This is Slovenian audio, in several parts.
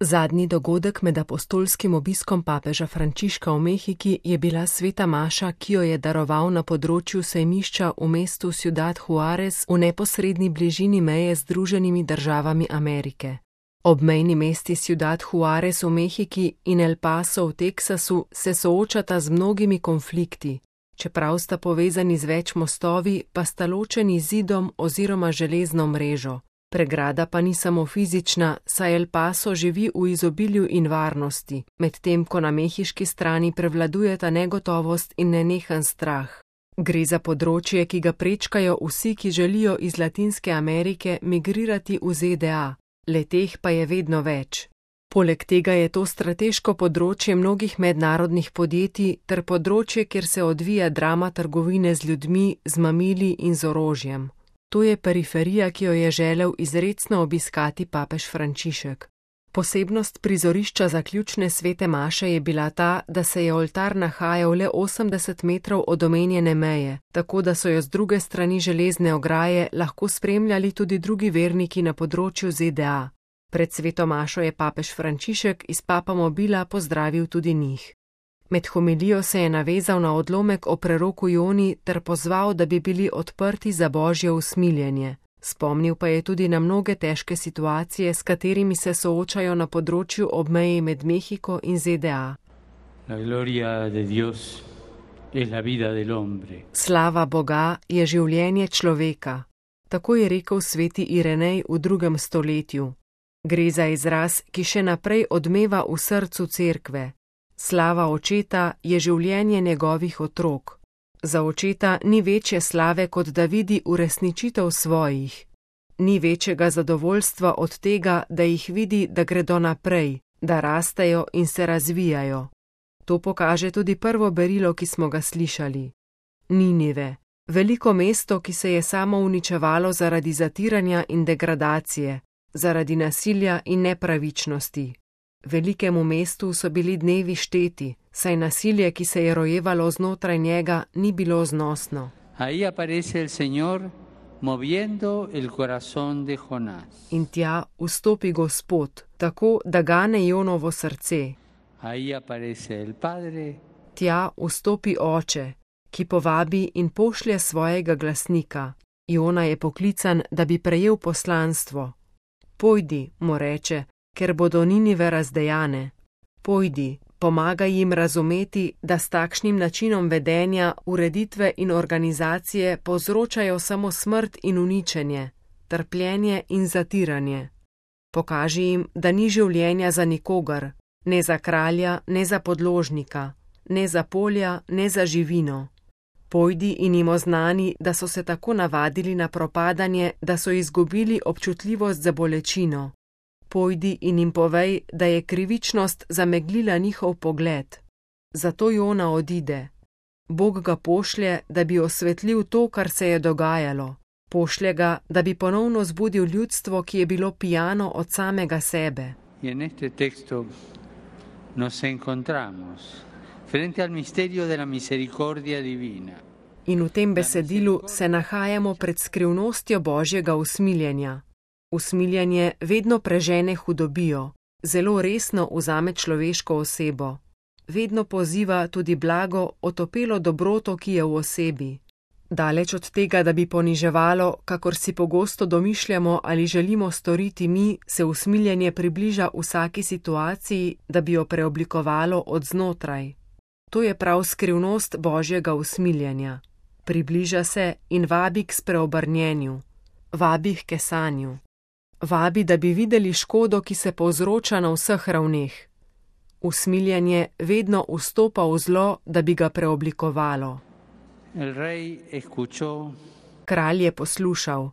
Zadnji dogodek med apostolskim obiskom papeža Frančiška v Mehiki je bila sveta maša, ki jo je daroval na področju sejmišča v mestu Ciudad Juárez v neposredni bližini meje z Združenimi državami Amerike. Obmejni mesti Ciudad Juárez v Mehiki in El Paso v Teksasu se soočata z mnogimi konflikti. Čeprav sta povezani z več mostovi, pa sta ločeni zidom oziroma železno mrežo. Pregrada pa ni samo fizična, saj El Paso živi v izobilju in varnosti, medtem ko na mehiški strani prevladujeta negotovost in nenehen strah. Gre za področje, ki ga prečkajo vsi, ki želijo iz Latinske Amerike migrirati v ZDA, le-teh pa je vedno več. Poleg tega je to strateško področje mnogih mednarodnih podjetij ter področje, kjer se odvija drama trgovine z ljudmi, z mamili in z orožjem. To je periferija, ki jo je želel izrecno obiskati papež Frančišek. Posebnost prizorišča zaključne svete maše je bila ta, da se je oltar nahajal le 80 metrov od omenjene meje, tako da so jo z druge strani železne ograje lahko spremljali tudi drugi verniki na področju ZDA. Pred sveto mašo je papež Frančišek iz papamobila pozdravil tudi njih. Med homilijo se je navezal na odlomek o preroku Joni ter pozval, da bi bili odprti za božje usmiljenje. Spomnil pa je tudi na mnoge težke situacije, s katerimi se soočajo na področju obmeji med Mehiko in ZDA. Slava Boga je življenje človeka. Tako je rekel sveti Irenej v 2. stoletju. Gre za izraz, ki še naprej odmeva v srcu cerkve. Slava očeta je življenje njegovih otrok. Za očeta ni večje slave, kot da vidi uresničitev svojih. Ni večjega zadovoljstva od tega, da jih vidi, da gredo naprej, da rastejo in se razvijajo. To pokaže tudi prvo berilo, ki smo ga slišali. Ninive, veliko mesto, ki se je samo uničevalo zaradi zatiranja in degradacije, zaradi nasilja in nepravičnosti. Velikemu mestu so bili dnevi šteti, saj nasilje, ki se je rojevalo znotraj njega, ni bilo znosno. In tja vstopi Gospod, tako da gane Jonovo srce. Tja vstopi Oče, ki povabi in pošlje svojega glasnika. Jona je poklican, da bi prejel poslanstvo. Pojdi, mu reče, ker bodo Ninive razdejane. Pojdi, pomagaj jim razumeti, da s takšnim načinom vedenja, ureditve in organizacije povzročajo samo smrt in uničenje, trpljenje in zatiranje. Pokaži jim, da ni življenja za nikogar, ne za kralja, ne za podložnika, ne za polja, ne za živino. Pojdi in jim oznani, da so se tako navadili na propadanje, da so izgubili občutljivost za bolečino. Pojdi in jim povej, da je krivičnost zameglila njihov pogled. Zato Jona odide. Bog ga pošlje, da bi osvetlil to, kar se je dogajalo. Pošlje ga, da bi ponovno zbudil ljudstvo, ki je bilo pijano od samega sebe. In v tem besedilu se nahajamo pred skrivnostjo Božjega usmiljenja. Usmiljenje vedno prežene hudobijo, zelo resno vzame človeško osebo. Vedno poziva tudi blago, otopelo dobroto, ki je v osebi. Daleč od tega, da bi poniževalo, kakor si pogosto domišljamo ali želimo storiti mi, se usmiljenje približa vsaki situaciji, da bi jo preoblikovalo od znotraj. To je prav skrivnost Božjega usmiljenja. Približa se in vabi k spreobrnjenju, vabi k kesanju. Vabi, da bi videli škodo, ki se povzroča na vseh ravneh. Usmiljenje vedno vstopa v zlo, da bi ga preoblikovalo. Kralj je poslušal.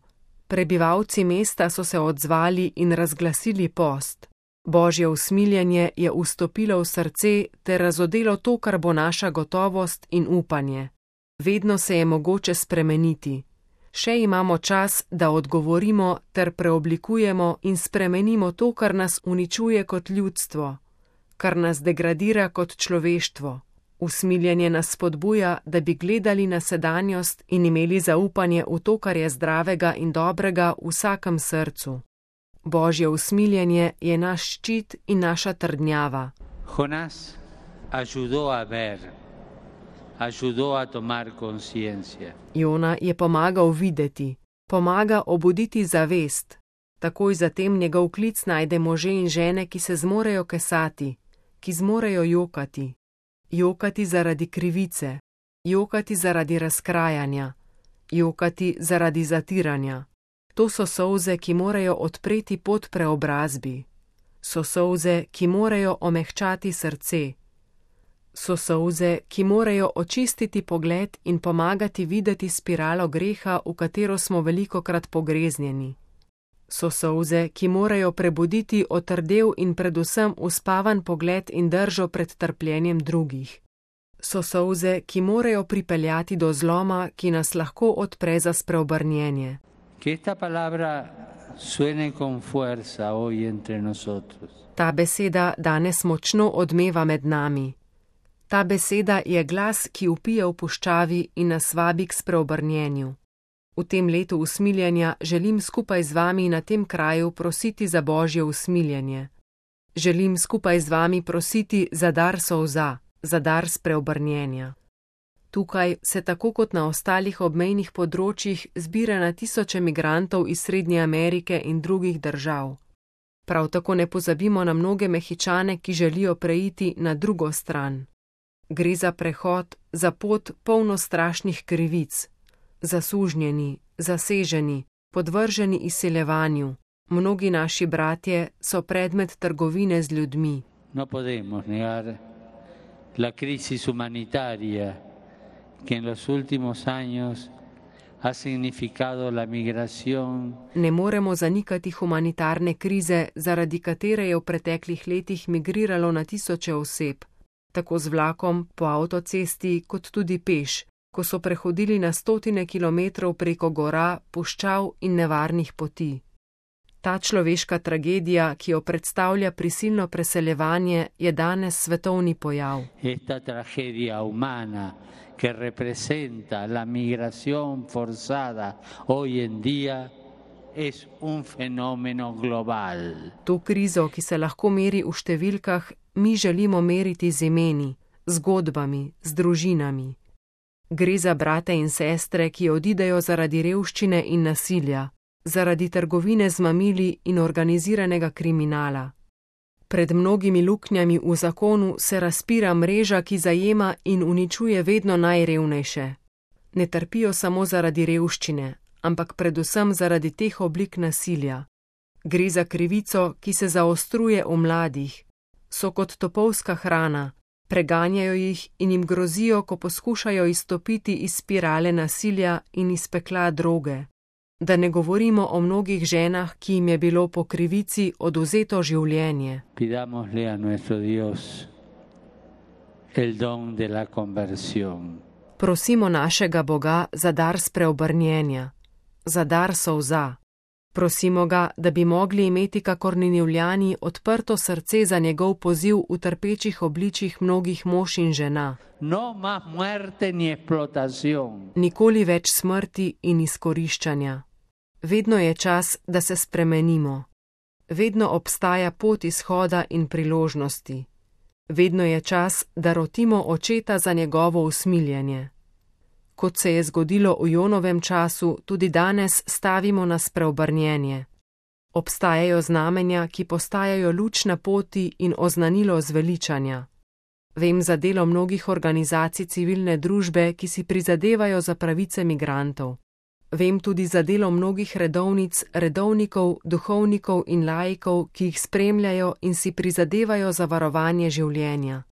Prebivalci mesta so se odzvali in razglasili post. Božje usmiljenje je vstopilo v srce ter razodelo to, kar bo naša gotovost in upanje. Vedno se je mogoče spremeniti. Še imamo čas, da odgovorimo ter preoblikujemo in spremenimo to, kar nas uničuje kot ljudstvo, kar nas degradira kot človeštvo. Usmiljenje nas spodbuja, da bi gledali na sedanjost in imeli zaupanje v to, kar je zdravega in dobrega v vsakem srcu. Božje usmiljenje je naš ščit in naša trdnjava. Jonás ayudó a ver, ayudó a tomar conciencia. Jona je pomagal videti, pomaga obuditi zavest. Takoj zatem njegov klic najde može in žene, ki se zmorejo kesati, ki zmorejo jokati. Jokati zaradi krivice, jokati zaradi razkrajanja, jokati zaradi zatiranja. To so solze, ki morajo odpreti pot preobrazbi. So solze, ki morajo omehčati srce. So solze, ki morajo očistiti pogled in pomagati videti spiralo greha, v katero smo velikokrat pogreznjeni. So solze, ki morajo prebuditi otrdel in predvsem uspavan pogled in držo pred trpljenjem drugih. So solze, ki morajo pripeljati do zloma, ki nas lahko odpre za spreobrnjenje. Ta beseda danes močno odmeva med nami. Ta beseda je glas, ki vpije v puščavi in nas vabi k spreobrnjenju. V tem letu usmiljenja želim skupaj z vami na tem kraju prositi za Božje usmiljenje. Želim skupaj z vami prositi za dar solza, za dar spreobrnjenja. Tukaj se tako kot na ostalih obmejnih področjih zbira na tisoče migrantov iz Srednje Amerike in drugih držav. Prav tako ne pozabimo na mnoge Mehičane, ki želijo preiti na drugo stran. Gre za prehod, za pot polno strašnih krivic. Zasužnjeni, zaseženi, podvrženi izseljevanju. Mnogi naši bratje so predmet trgovine z ljudmi. No podemos negar la crisis humanitaria que en los últimos años ha significado la migración. Ne moremo zanikati humanitarne krize, zaradi katere je v preteklih letih migriralo na tisoče oseb, tako z vlakom, po avtocesti, kot tudi peš, ko so prehodili na stotine kilometrov preko gora, puščav in nevarnih poti. Ta človeška tragedija, ki jo predstavlja prisilno preseljevanje, je danes svetovni pojav. Esta tragedia humana que representa la migración forzada hoy en día es un fenómeno global. To krizo, ki se lahko meri v številkah, mi želimo meriti z imeni, zgodbami, z družinami. Gre za brate in sestre, ki odidejo zaradi revščine in nasilja, zaradi trgovine z mamili in organiziranega kriminala. Pred mnogimi luknjami v zakonu se razpira mreža, ki zajema in uničuje vedno najrevnejše. Ne trpijo samo zaradi revščine, ampak predvsem zaradi teh oblik nasilja. Gre za krivico, ki se zaostruje v mladih. So kot topovska hrana, preganjajo jih in jim grozijo, ko poskušajo izstopiti iz spirale nasilja in iz pekla droge. Da ne govorimo o mnogih ženah, ki jim je bilo po krivici odvzeto življenje. Pidamosle a nuestro Dios el don de la conversión. Prosimo našega Boga za dar spreobrnjenja, za dar solza. Prosimo ga, da bi mogli imeti kakor Ninivljani odprto srce za njegov poziv v trpečih obličjih mnogih mož in žena. No más muerte ni explotación. Nikoli več smrti in izkoriščanja. Vedno je čas, da se spremenimo. Vedno obstaja pot izhoda in priložnosti. Vedno je čas, da rotimo očeta za njegovo usmiljenje. Kot se je zgodilo v Jonovem času, tudi danes stavimo na spreobrnjenje. Obstajajo znamenja, ki postajajo luč na poti in oznanilo zveličanja. Vem za delo mnogih organizacij civilne družbe, ki si prizadevajo za pravice migrantov. Vem tudi za delo mnogih redovnic, redovnikov, duhovnikov in laikov, ki jih spremljajo in si prizadevajo za varovanje življenja.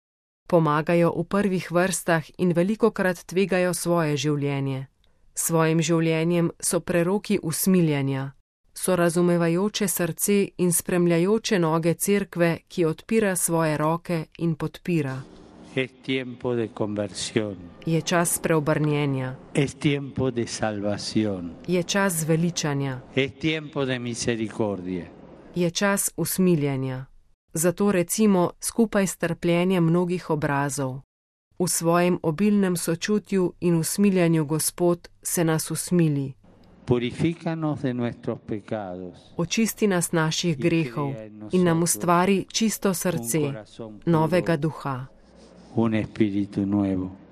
Pomagajo v prvih vrstah in velikokrat tvegajo svoje življenje. Svojim življenjem so preroki usmiljenja. So razumevajoče srce in spremljajoče noge cerkve, ki odpira svoje roke in podpira. Es tiempo de conversión. Je čas preobrnjenja. Es tiempo de salvación. Je čas zveličanja. Es tiempo de misericordia. Je čas usmiljenja. Zato recimo skupaj s trpljenjem mnogih obrazov. V svojem obilnem sočutju in usmiljanju Gospod se nas usmili. Purifícanos de nuestros pecados. Očisti nas naših grehov in nam ustvari čisto srce, novega duha. Un espíritu nuevo.